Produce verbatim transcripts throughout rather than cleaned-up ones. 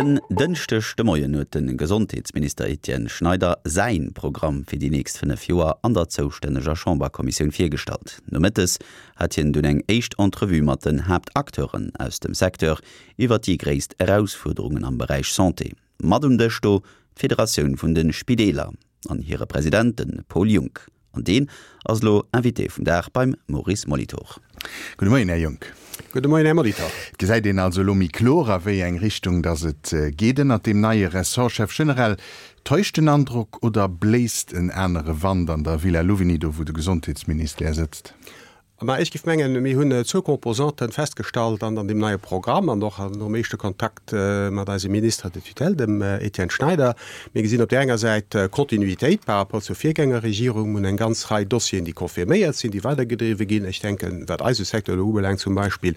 En Dënschdeg de Moien huet de Gesondheetsminister Etienne Schneider säin Programm fir déi nächst fënnef Joer an der zoustänneger Chamberkommissioun virgestallt. Nomëttes hat hien dunn eng éischt Entrevue mat den Haaptacteuren aus dem Secteur iwwer déi gréisst Erausfuerderungen am Beräich Santé. Mat um Dësch do d'Federatioun vun de Spideeler an hire President, de Paul Junck. An deen ass elo Invité vum Dag beim Maurice Molitor. Gudde Moien, Här Junck. Gudde Moien, Här Molitor. Et gesäit een also elo méi kloer, a wéi eng Richtung datt et geet ënnert deem neie Ressortchef generell. Täuscht den Androck oder bléist en anere Wand an der Villa Louvigny, do wou de Gesondheetsministère sëtzt? Ma ech géif mengen, mir hunn zwou Composanten festgestallt an an deem neie Programm an och nom éischte Kontakt mat eisem Ministre de tutelle, dem Etienne Schneider. Mir gesinn op där enger Säit Kontinuitéit par rapport zur Virgängerregierung. Mir hunn eng ganz Rei Dossieren, déi confirméiert sinn, déi weidergedriwwe ginn. Ech denken, wat eise Secteur elo ubelaangt zum Beispill,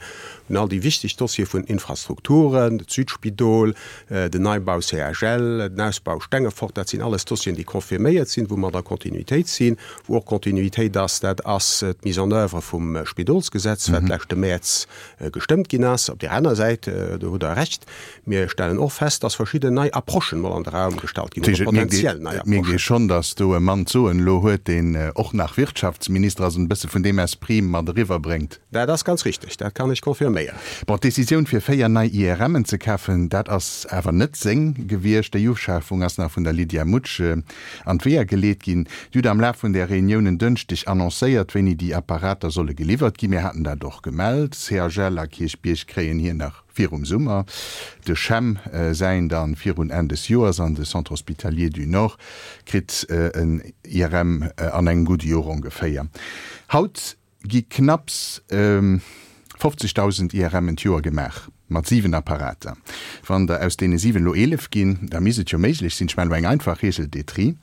un all déi wichteg Dossiere vun Infrastrukturen, d'Südspidol, den Neibau C H L, den Ausbau Stengefort, dat sinn alles Dossieren, déi confirméiert sinn, wou mer an der Kontinuitéit sinn. Wou och Kontinuitéit ass, dat ass d'Mise en œuvre vum Spidolsgesetz, wat leschte Mäerz gestëmmt ginn ass. Op där aner Säit, do hutt Der Recht, mir stellen och fest, dass verschidden nei Approchen mol an de Raum gestallt ginn, oder potenziell nei Et mierkt ee Approchen. Schonn, dass do e Mann d'Soen elo huet, deen och nach Wirtschaftsminister ass an e bësse vun deem Esprit mat eriwwerbréngt. Dat ass ganz richteg, dat kann ech confirméieren. Bon, d'Decisioun fir véier nei I R M'en ze kafen, dat ass awer net seng gewiescht. Déi Uschafung ass nach vun der Lydia Mutsch an d'Weeër geleet ginn. Dir hutt am Laf vun der Reunioun en Dënschdeg annoncéiert, wéini déi Apparater solle geliwwert ginn. Mir haten dat och gemellt. C H L a Kierchbierg kréien hir nach virum Summer, de CHEM säin dann virun Enn des Joers an de Centre Hospitalier du Nord kritt en I R M an engem gudde Joer ongeféier. Haut gi knapps fofzegdausend I R M'en d'Joer gemaach, mat siwen Apparater. Wann der aus deene siwen elo eelef ginn, da misst et jo méiglech sinn, ech maachen elo eng einfach Reegel des tri,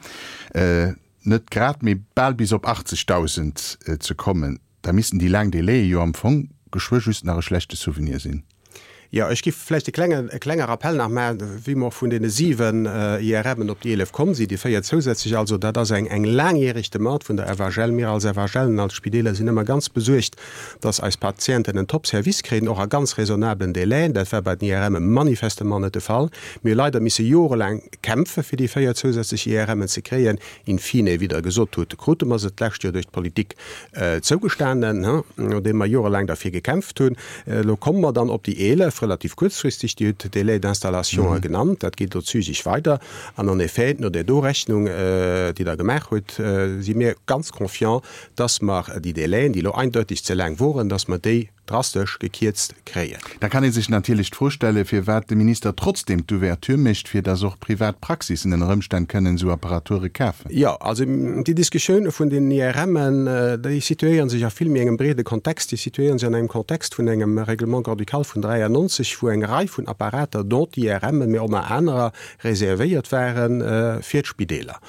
net grad, mee bal bis op achtzegdausend ze kommen. Da missten déi laang Délaië jo am Fong geschwë just nach e schlechte Souvenir sinn. Jo, ech géif vläicht e klenge, e klenge Rappel nach maachen, wéi mer vun deene siwen I R M'en op déi eelef komm sinn, déi véier zousätzlech. Also dat ass eng, eng laangjäreg Demande vun der F H L. Mir als F H L an als Spideeler sinn ëmmer ganz besuergt, dass eis Patienten en Top-Service kréien, och a ganz raisonnablen Délaiën. Dat war bei den I R M'e manifestement net de Fall. Mir hu leider misse jorelaang kämpfe fir déi véier zousätzlech I R M'en ze kréien. In fine, wéi Der gesot hutt, krute mer se d'lescht Joer duerch d'Politik zougestanen, nodeem mer jorelaang derfir gekämpft hunn. Elo komme mer dann op déi eelef, relativ kuerzfristeg. Dir hutt d'Délais d'installation genannt, dat geet elo zügig weider. An en effet, no där do Rechnung, déi Der gemaach hutt, si mir ganz confiant, dass mer déi Délaiën, déi elo eindeutig ze laang woren, dass mer déi drastesch gekierzt kréien. Da kann ee sech natierlech d'Fro stellen, firwat de Minister trotzdem d'Ouverture mécht, fir dass och privat Praxissen ënner Ëmstänn kënnen esou Apparature kafen. Jo, also déi Diskussioun vun den I R M'en, déi situéiere sech a vill méi engem breede Kontext. Déi situéiere sech an engem Kontext vun engem Règlement grand-ducal vun dräiannonzeg, wou eng Rei vun Apparater, dont d'I R M'en, mee och nach anerer, reservéiert ware fir d'Spideeler.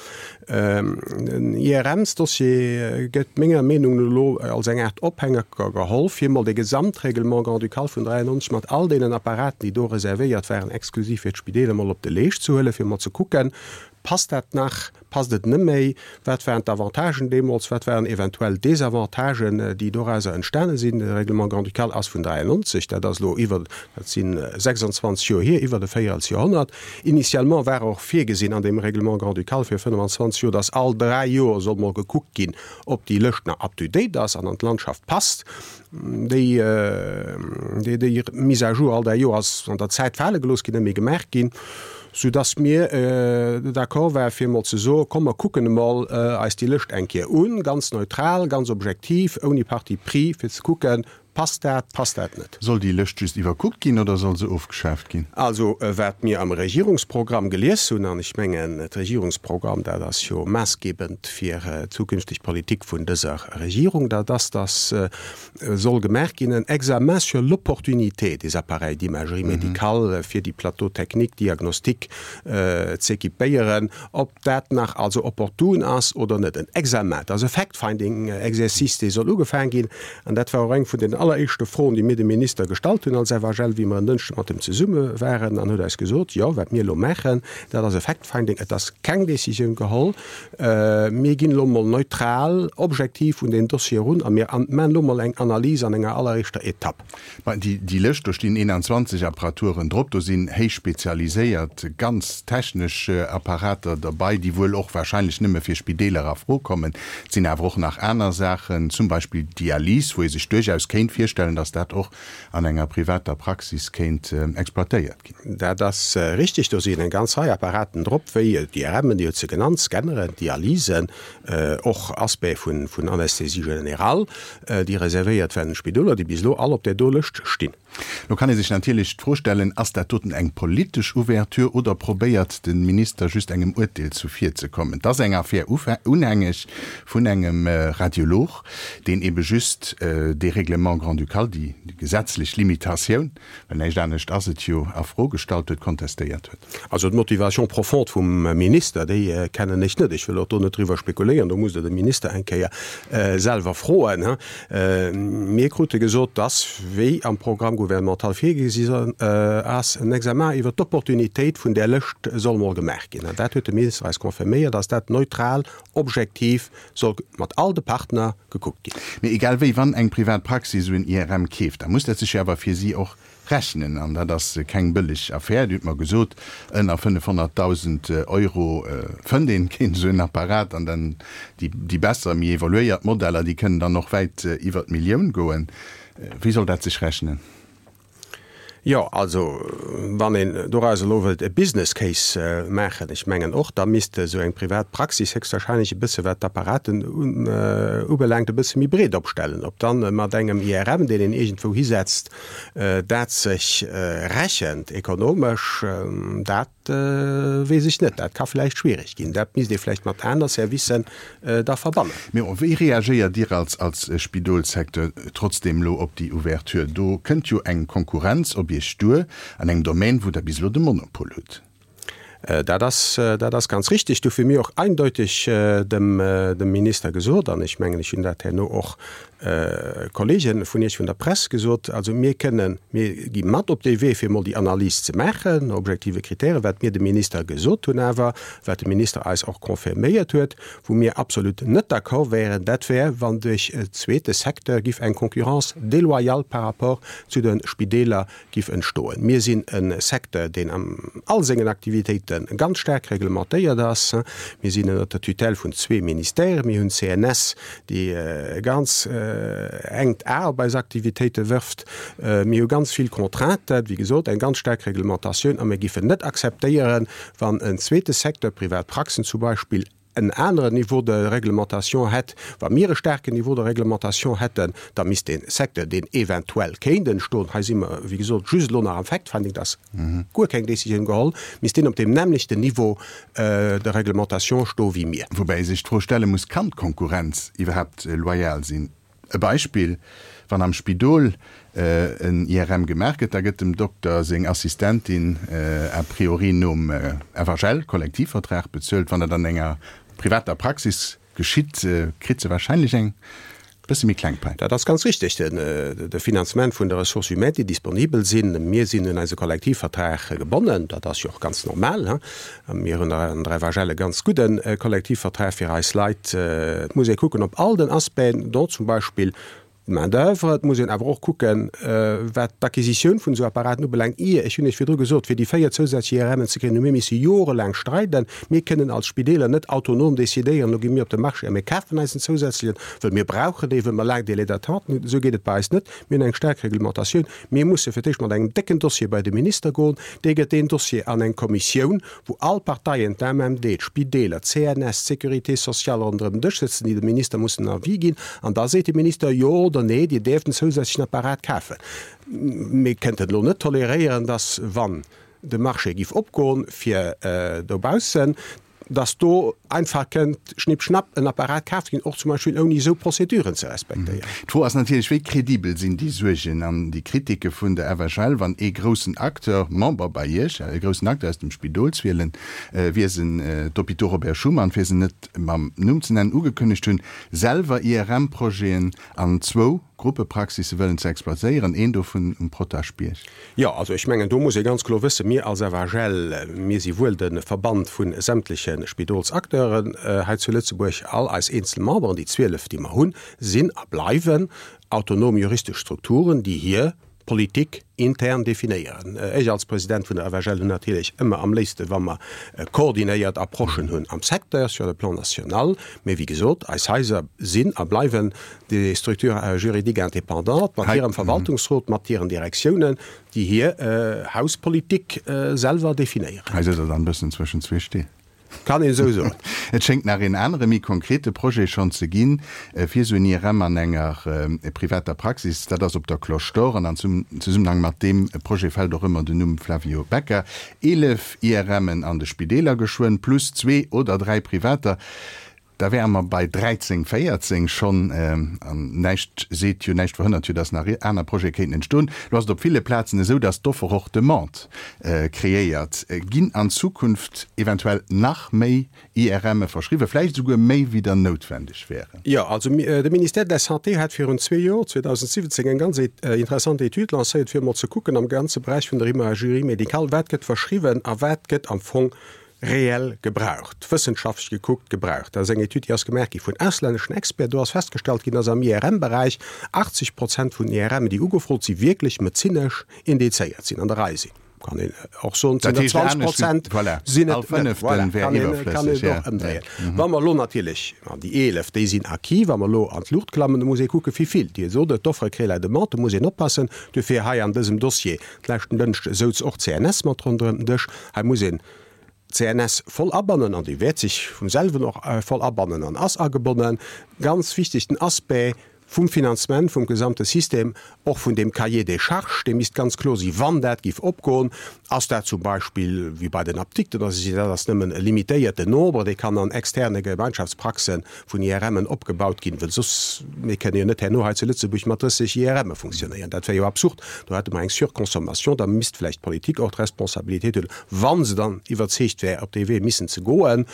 Den I R Ms-Dossier gëtt menger Meenung no elo als eng Aart Ophänger geholl, fir emol de Gesamtrèglement grand-ducal vun dräiannonzeg mat all deenen Apparaten, déi do reservéiert waren, exklusiv fir d'Spideeler, emol op de Leescht ze huelen, fir emol ze kucken, Passt dat nach? Passt et net méi? Wat waren d'Avantagen deemools? Wat waren eventuell Desavantagen, déi dorauser entstane sinn? De Règlement grand-ducal ass vun dräiannonzeg, dat ass elo iwwer, dat si sechsanzwanzeg Joer hier, iwwert e Véierelsjoerhonnert. Initialement war och virgesinn an deem Règlement grand-ducal fir fënnfanzwanzeg Joer, dass all dräi Joer soll mol gekuckt ginn, ob déi Lëscht nach up-to-date ass an an d'Landschaft passt. Déi, déi, déi Mise à jour all dräi Joer ass an der Zäit fale gelooss ginn, net méi gemaach ginn, soudass mir d'accord ware fir emol ze soen, komm mer kucken emol eis déi Lëscht eng Kéier un, ganz neutral, ganz objektiv, ouni Parti pris, fir ze kucken, passt dat, passt dat net. Soll déi Lëscht just iwwerkuckt ginn oder soll se ofgeschaaft ginn? Also wat mir am Regierungsprogramm gelies hunn, an ech mengen d'Regierungsprogramm, dat ass jo maassgebend fir d'zukünfteg Politik vun dëser Regierung, dat ass, dass soll gemaach ginn en Examen sur l'opportunité des appareils d'imagerie médicale fir déi Plateaux techniques diagnostiques z'équipéieren, ob dat nach also opportun ass oder net. En Examen, dat ass e Fact-finding-Exercice, dee soll ugefaang ginn, an dat war och eng vun den alleréischte Froen, déi mir dem Minister gestallt hunn als FHL, wéi mer en Dënschde mat em zesumme waren, an huet eis gesot, Jo, wat mir elo maachen, dat ass e Fact-finding, et ass keng Décisioun geholl. Mir ginn elo emol neutral, objektiv un deen Dossier erun a mir maachen elo emol eng Analys an enger alleréischter Etapp. Mä déi Lëscht, do stinn eenanzwanzeg Apparaturen drop, do sinn héich spezialiséiert, ganz technesch Apparater derbei, déi wuel och wahrscheinlech nëmme fir Spideeler a Fro kommen. Et sinn awer och nach aner Saachen, zum Beispill Dialys, wou ee sech duerchaus kéint virstellen, datt dat och an enger privater Praxis kéint exploitéiert ginn. Dat ass richtig. Do sinn eng ganz Rei Apparaten drop, wéi d'IRMen, Dir hutt se genannt, Scanneren, Dialysen, och Aspecte vun Anesthésie générale, déi reservéiert waren den Spidoler, déi bis elo all op där do Lëscht stinn. Lo kann ee sech natierlech d'Fro stellen, Ass dat doten eng politesch Ouverture oder probéiert de Minister just engem Urteel zuvirzekommen? Et ass eng Affär unhängeg vun engem Radiolog, deen ebe just dee Règlement grand-ducal, déi gesetzlech Limitatioun, well näischt anescht ass et jo, a Fro gestallt huet, kontestéiert huet. Also d'Motivation profonde vum Minister, déi kennen ech net. Ech wëll och do net driwwer spekuléieren, do musst Der de Minister eng Kéier selwer froen. Mir krute gesot, dass, wéi am Programme gouvernemental virgesi ass, en Examen iwwert d'Opportunitéit vun där Lëscht soll mol gemaach ginn. An dat huet de Minister eis confirméiert, dass dat neutral, objektiv soll mat all de Partner gekuckt ginn. Mee egal wéi, wann eng privat Praxis esou en I R M keeft, da muss dat sech jo awer fir si och rechnen. An dat ass keng bëlleg Affär. Dir hutt mer gesot, ënner fënnefhonnertdausend Euro fënnt een keen esou en Apparat. An dann déi besser, méi evoluéiert Modeller, déi kënnen dann och wäit iwwer d'Millioun goen. Wéi soll dat sech rechnen? Jo, also wann een doraus elo wëllt e Business Case maachen, ech mengen och, da misst esou eng privat Praxis héchstwahrscheinlech e bësse wat d'Apparaten ubelaangt e bësse méi breet opstellen. Ob dann mat engem I R M, deen een iergendwou hisetzt, dat sech rechent ekonomesch, dat weess ech net. Dat ka vläicht schwierig ginn. Dat misst ee vläicht mat aner Servicen da verbannen. Mee wéi reagéiert Dir als als Spidolssecteur trotzdeem elo op déi Ouverture? Do kënnt jo eng Konkurrenz op Iech duer an engem Domaine, wou Der bis elo de Monopol hutt. Dat ass, dat ass ganz richtig. Dofir hu mir och eindeutig dem, dem Minister gesot, an ech mengen, ech hunn dat herno och Kollege vun Iech vun der Press gesot, also mir kënnen, mir gi mat op dee Wee, fir emol déi Analys ze maachen, no objektive Kritären, wat mir dem Minister gesot hunn awer, wat de Minister eis och confirméiert huet, wou mir absolut net d'accord wäeren, dat wär, wann duerch e zweete Secteur giff eng Concurrence déloyale par rapport zu de Spideeler giff entstoen. Mir sinn e Secteur, deen an all sengen Aktivitéite ganz staark reglementéiert ass. Mir sinn ënnert der Tutelle vun zwee Ministèren. Mir hunn d'C N S, déi e ganz enkt A op eis Aktivitéite wërft. Mir hu ganz vill Contrainten, wéi gesot, eng ganz staark Reglementatioun, a mir giffen net akzeptéieren, wann en zweete Secteur, privat Praxen zum Beispill, en aneren Niveau de réglementation hätt. Wa mir e staarken Niveau de réglementation hätten, da misst dee Secteur, deen eventuell kéint entstoen, hei si mer, wéi gesot, just elo nach am Fact-finding, et ass guer keng Décisioun geholl, misst deen op deem nämmlechten Niveau de réglementation stoe wéi mir. Woubäi ee sech d'Fro stelle muss, Kann d'Konkurrenz iwwerhaapt loyal sinn? E Beispill, Wann am Spidol en I R M gemaach gëtt, da gëtt dem Dokter seng Assistentin a priori nom F H L-Kollektivvertrag bezuelt. Wann dat an enger privater Praxis geschitt, kritt se wahrscheinlech eng bësse méi kleng Pai. Dat ass ganz richtig, de Finanzement vun de Ressources humaines, déi disponibel sinn. Mir sinn un eise Kollektivvertrag gebonnen, dat ass jo och ganz normal. Mir hunn an der F H L e ganz gudde Kollektivvertrag fir eis Leit. Et muss ee kucken op all den Aspecten, dont zum Beispill d'Main-d'oeuvre. Et muss een awer och kucken, wat d'Acquisitioun vun esou Apparaten ubelaangt. Ier, ech hunn Iech virdru gesot, fir déi véier zousätzlech I R M'en ze kréien, hu mir misse jorelaang streiden. Mir kënnen als Spideeler net autonom decidéieren, elo gi mir op de Marché a mir kafen eis en zousätzlechen, well mir brauchen dee, well mer laang Délais d'attente hunn. Esou geet et bei eis net. Mir hunn eng staark Reglementatioun. Mir musse fir d'éischt mat engem décken Dossier bei de Minister goen. Dee gëtt deen Dossier an eng Kommissioun, wou all Parteien, d'A M M D, d'Spideeler, d'C N S, d'Sécurité sociale, ronderëm den Dësch sëtzen, déi dem Minister mussen en Avis ginn. An da seet de Minister, Jo oder Nee, Dir däerft en zousätzlechen Apparat kafen. Mir kënnten elo net toleréieren, dass, wann de Marché giff opgoen fir dobaussen, dass do einfach kënnt schnipp schnapp en Apparat kaaft ginn, och zum Beispill ouni esou Prozeduren ze respektéieren. D'Fro ass natierlech, Wéi kredibel sinn déi Suergen an déi Kritike vun der F H L, wann ee groussen Acteur, Member bei Iech, e groussen Acteur aus dem Spidolswiesen, d'Hôpitaux Robert Schuman, fir se net mam Numm ze nennen, ugekënnegt hunn, selwer I R M-Projeten an zwou Gruppepraxisse wëllen ze exploitéieren, een dovun um Potaschbierg. Jo, also ech mengen, do muss ee ganz kloer wëssen, mir als FHL, mir si wuel de Verband vu sämtleche Spidolsacteuren hei zu Lëtzebuerg, all eis eenzel Memberen, déi zwielef, déi mer hunn, sinn a bleiwen autonom juristesch Strukturen, déi hir Politik intern definéieren. Ech als President vun der FHL hunn natierlech ëmmer am léifste wa mer koordinéiert Approchen hunn am Secteur, sur le plan national, mee wéi gesot, eis Haiser sinn a bleiwen des structures juridiques indépendantes mat hirem Verwaltungsrot, mat hiren Direktiounen, déi hir Hauspolitik selwer definéieren. Hei sëtzt Der dann e bëssen zwëschen zwee Still. Kann een esou soen. Et schéngt nach een anere méi konkrete Projet schonn ze ginn, fir esou en I R M an enger privater Praxis. Dat ass op der Cloche d'Or an am Zesummenhang mat deem Projet fält och ëmmer den Numm Flavio Becca. Eelef I R Mën an de Spideeler geschwënn, plus zwee oder dräi privater. Da wäre mer bei dräizéng, véierzéng schonn. An näischt seet jo, näischt verhënnert jo, datt nach aner Projete kéinten entstoen. Elo ass et op ville Plazen esou, datt d'Offer och d'Demande kreéiert. Ginn an Zukunft eventuell nach méi I R Më verschriwwen, vläicht esouguer méi wéi der noutwendeg wären? Jo, also de Ministère de la Santé hat virun zwee Joer, zweedausendsiwwenzéng, eng ganz interessant Etüd lancéiert, fir emol ze kucken am ganze Beräich vun der Imagerie médicale, wat gëtt verschriwwen a wat gëtt am Fong reell gebraucht, wëssenschaftlech gekuckt gebraucht. Dat ass eng Etüd, déi ass gemaach gi vun auslänneschen Experten. Do ass festgestallt ginn, dass am I R M-Beräich achtzeg Prozent vun den I R M, déi ugefrot sinn, wierklech medezinesch indizéiert sinn, an der Rei sinn. Kann een och soen, et sinn der zwanzeg Prozent sinn et net. Voilà, kann een, kann een och ëmdréien. Wa mer elo natierlech, an déi eelef, déi sinn acquis, wa mer elo an d'Luucht klammen, da muss ee kucken, wéi vill. Dir sot et, d'Offre crée la demande, do muss een oppassen. Duerfir hei an dësem Dossier, d'leschten Dënschde souz och d'C N S mat ronderëm den Dësch, hei muss een d'C N S voll abannen, an déi wäert sech vum selwen och voll abannen an ass agebonnen, ganz wichteg den Aspect vum Finanzement vum gesamte System, och vun deem Cahier des charges, dee misst ganz kloer si wann dat géif opgoen. Ass dat zum Beispill wéi bei den Apdikten, oder si dat ass nëmmen e limitéierten Nombre, dee kann an externe Gemeinschaftspraxe vun I R Mën opgebaut ginn, well soss, mir kënne jo net herno hei zu Lëtzebuerg mat drësseg I R Më funktionéieren, dat wär jo absurd, do hätte mer eng Surconsommation. Da misst vläicht d'Politik och d'Responsabilitéit huelen, wa se dann iwwerzeegt wär, op dee Wee missen ze goen,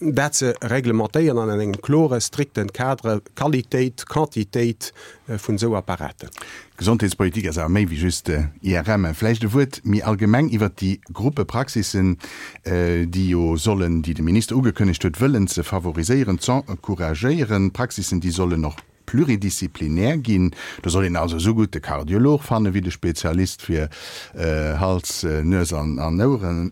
dat ze reglementéieren an engem klore, strikten Cadre, Qualitéit, Quantitéit vun esou Apparaten. Gesondheetspolitik ass awer méi wéi just I R M. Vläicht e Wuert méi allgemeng iwwert déi Gruppepraxissen, déi jo sollen, déi de Minister ugekënnegt huet wëllen ze favoriséieren, z'encouragéieren. Praxissen, déi sollen och pluridisziplinär ginn. Do soll een also esou gutt de Kardiolog fanne wéi de Spezialist fir Hals, Nues an Oueren.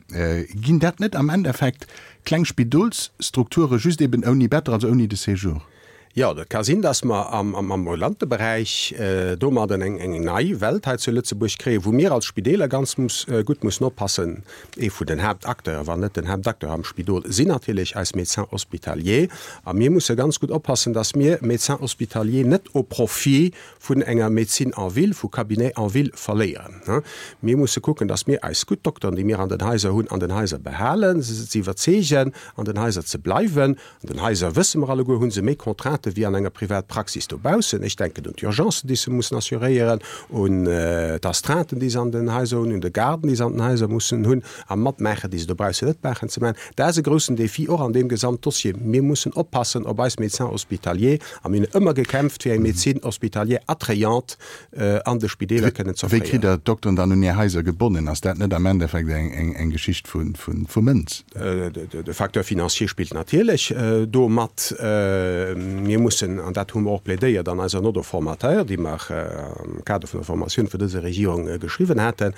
Ginn dat net am Endeffekt kleng Spidolsstrukture just eben ouni Better, also ouni de Séjour? Jo, dat ka sinn, dass mer am ambulante Beräich domadden eng nei Welt hei zu Lëtzebuerg kréien, wou mir als Spideeler ganz gutt mussen oppassen. Ee vun den Haaptacteuren, wann net den Haaptacteur am Spidol, sinn natierlech eis Médecins hospitaliers. A mir musse ganz gutt oppassen, dass mir Médecins hospitaliers net au profit vun enger Médecine en ville, vu Cabinets en ville verléieren. Mir musse kucken, dass mir eis gutt Dokteren, déi mir an den Haiser hunn, an den Haiser behalen, se ze iwwerzeegen, an den Haiser ze bleiwen. An den Haiser, wësse mer alleguer, hu se méi Contraintë wéi an enger Privatpraxis dobaussen. Ech denken un d'Urgencen, déi se mussen assuréieren, un d'Astreinten, déi se an den Haiser hunn, un de Garden, déi se an den Haiser mussen hunn a matmaachen, déi se dobaussen net maachen ze maachen. Dat ass e groussen Défi och an deem Gesamtdossier. Mir mussen oppassen op eis Médecins hospitaliers a mir hunn ëmmer gekämpft, fir eng Médecine hospitalière attrayante an de Spideeler kënnen ze offréieren. Wéi kritt Der d'Dokteren dann un Är Haiser gebonnen? Ass dat net am Endeffekt eng Geschicht vu Mënz? De Facteur financier spillt natierlech do mat. Mir mussen, an dat hu mer och plädéiert an eiser Note au formateur, déi mer am Kader vun der Formatioun vun dëser Regierung geschriwwen haten,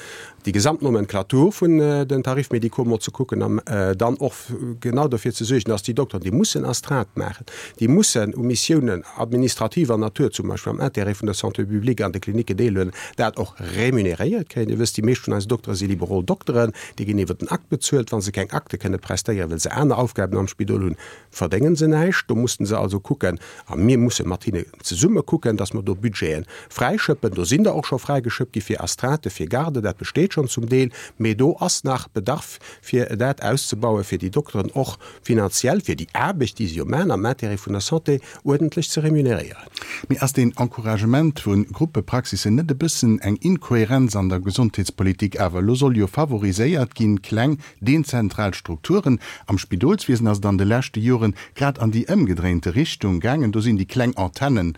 déi gesamt Nomenclature vun den Tarifs médicaux mol ze kucken an dann och genau dofir ze suergen, dass déi Dokteren, déi mussen Astreinte maachen, déi mussen u Missiounen administrativer Natur, zum Beispill am Intérêt vun der Santé publique an de Klinicken deelhuelen, dat och remuneréiert kréien. Dir wësst, déi meescht vun eisen Doktere si liberal Dokteren, déi ginn iwwer den Akt bezuelt. Wa se keng Akte kënne prestéieren, well se aner Aufgaben am Spidol hunn, verdéngen se näischt. Do mussen se also kucken, a mir musse mat hinne zesumme kucken, dass mer do Budgete fräischëppen. Do sinn der och scho fräigeschëppt gi fir Astreintë, fir Garden, dat besteet schonn zum Deel, mee do ass nach Bedarf, fir dat auszebauen, fir déi Dokteren och finanziell fir déi Aarbecht, déi se jo maachen am Intérêt vun der Santé, uerdentlech ze remuneréieren. Mee ass deen Encouragement vu Gruppepraxissen net e bëssen eng Inkohärenz an der Gesondheetspolitik awer? Elo soll jo favoriséiert ginn, kleng, dezentral Strukturen. Am Spidolswiesen ass et an de leschte Joren grad an déi ëmgedréinte Richtung gaangen. gaangen. Do sinn déi kleng Antennen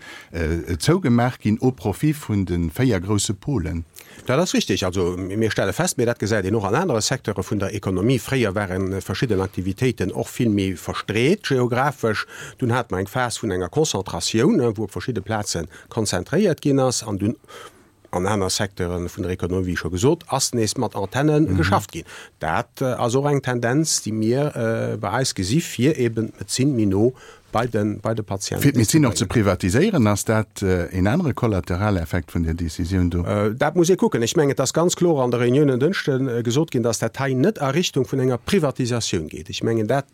zougemaach ginn au profit vun de véier grousse Polen. Dat ass richtig. Also mir stelle fest, mee dat gesäit een och an anere Secteure vun der Ekonomie, fréier ware verschidden Aktivitéiten och vill méi verstreet geographesch. Dunn hate mer eng Phas vun enger Konzentratioun, wou op verschidde Plaze konzentréiert ginn ass an dunn an aner Secteure vun der Ekonomie, wéi scho gesot, ass nees mat Antenne geschafft ginn. Dat ass och eng Tendenz, déi mir bei eis gesi fir eben d'Medezin méi no bei de, bei de Patienten Fir d'Medezin och ze privatiséieren, ass dat een anere Kollateraleffekt vun där Decisioun do? Dat muss ee kucken. Ech mengen, et ass ganz kloer an der Reunioun en Dënschde gesot ginn, dass dat hei net a Richtung vun enger Privatisatioun geet. Ech mengen dat,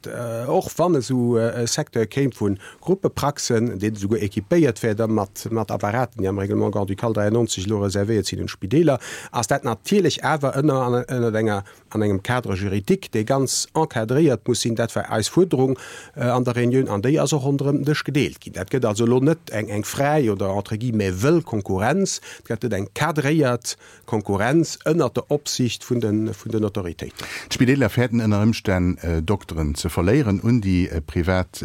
och wann esou e Secteur kéim vu Gruppepraxen, deen esouguer équipéiert wär da mat, mat Apparaten, déi am Règlement grand-ducal dräiannonzeg elo reservéiert sinn un d'Spideeler, ass dat natierlech awer ënner, ënner enger, an engem Cadre juridique, dee ganz encadréiert muss sinn. Dat war eis Fuerderung an der Reunioun an déi ass och ronderëm den Dësch gedeelt ginn. Dat gëtt also elo net eng, eng fräi oder entre guillemets wëll Konkurrenz, et gëtt eng cadréiert Konkurrenz ënnert der Opsicht vun den, vun den Autoritéiten. D'Spideeler fäerten ënner Ëmstänn Dokteren ze verléieren un déi privat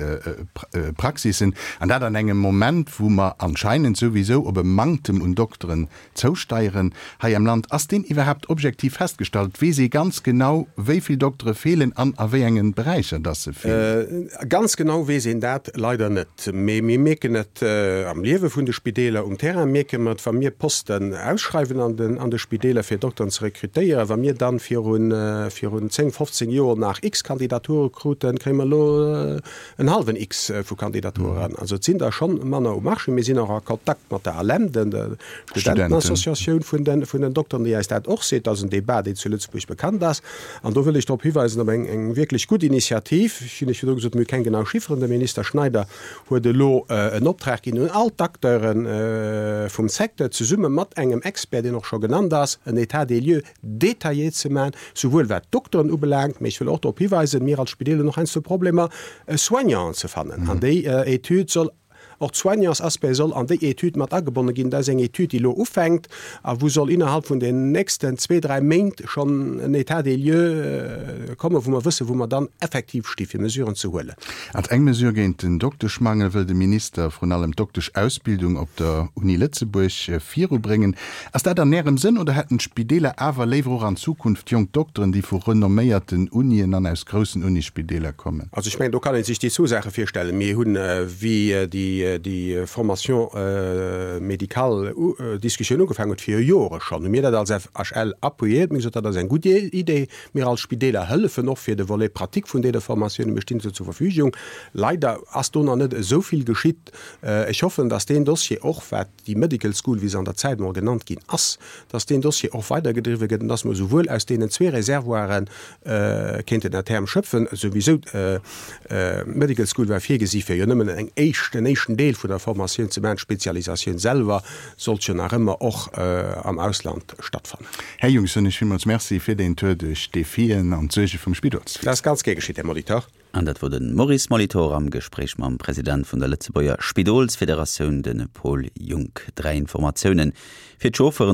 Praxissen, an dat an engem Moment, wou mer anscheinend souwisou op e Manktem un Dokteren zousteieren hei am Land. Ass deen iwwerhaapt objektiv festgestallt? Weess ee ganz genau, wéi vill Doktere feelen an a wéi engen Beräicher dass se feelen? Ganz genau weess een dat leider net. Mee mir mierken et am Liewe vun de Spideeler um Terrain, mierke mer et, wa mir Posten ausschreiwen an den an de Spideeler, fir Dokteren ze rekrutéieren. Wa mir dann virun virun zéng, fofzéng Joer nach x Kandidature kruten, kréie mer elo en hallwen X vu Kandidaturen. Also et sinn der schonn manner um Marché. Mir sinn och a Kontakt mat der ALEM, der Studentenassociatioun vun den vun den Dokteren, déi eis dat och seet. Dat ass en Débat, deen zu Lëtzebuerg bekannt ass. An do wëll ech drop hiweisen op eng eng wierklech gutt Initiativ. Ech hunn lech virdru gesot, mir hu keng genau Chifferen. De Minister Schneider huet elo en Optrag ginn un all d'Acteure vum Secteur, zesumme mat engem Expert, deen och scho genannt ass, en État des lieux détaillé ze maachen, souwuel wat d'Dokteren ubelaangt, mee ech wëll och drop hiweisen, mir als Spideel hunn och heiansdo Problemer, Soignanten ze fannen. An déi Etüd soll, och d'Soignantsaspect soll an déi Etüd mat agebonne ginn. Dat ass eng Etüd, déi elo ufänkt a wou soll innerhalb vun den nächsten zwee, dräi Méint schonn en État des lieux kommen, wou mer wëssen, wou mer dann effektiv sti fir Mesuren ze huelen. Als eng Mesure géint den Dokteschmangel wëll de Minister vrun allem d'Doktesch-Ausbildung op der Uni Lëtzebuerg virubréngen. Ass dat an Ärem Sënn oder hätten d'Spideeler awer léiwer och an Zukunft jonk Dokteren, déi vu renomméierten Unien an aus groussen Unisspideeler kommen? Also ech mengen, do kann ee sech déi zwou Saache virstellen. Mir hunn, wéi déi Formation médicale Diskussioun ugefaangen huet, viru Jore schonn, hu mir dat als F H L appuyéiert. Mir hu gesot, dat ass eng gutt Idee. Mir als Spideeler hëllefen och fir de Volet pratique vun deene Formatiounen. Mir stinn se zur Verfügung. Leider ass do nach net esou vill geschitt. Ech hoffen, dass deen Dossier och, wat déi Medical School, wéi se an der Zäit emol genannt ginn ass, dass deen Dossier och weidergedriwwe gëtt an dass mer esouwuel aus deenen zwee Reservoiren kéinten à terme schöpfen. Souwisou, d'Medical School war virgesi fir jo nëmmen eng éischt, en éischten Deel vun der Formatioun ze maachen. D'Spezialisatioun selwer sollt jo nach ëmmer och am Ausland stattfannen. Här Junck, soen ech villmools Merci fir deen Tour duerch d'Defien an d'Suerge vum Spidolswiesen. Dat ass ganz gär geschitt, Här Molitor. An dat wor de Maurice Molitor am Gespréich mam President vun der Lëtzebuerger Spidolsfederatioun, de Paul Junck. Dräi Informatiounen fir d'Chauffeuren.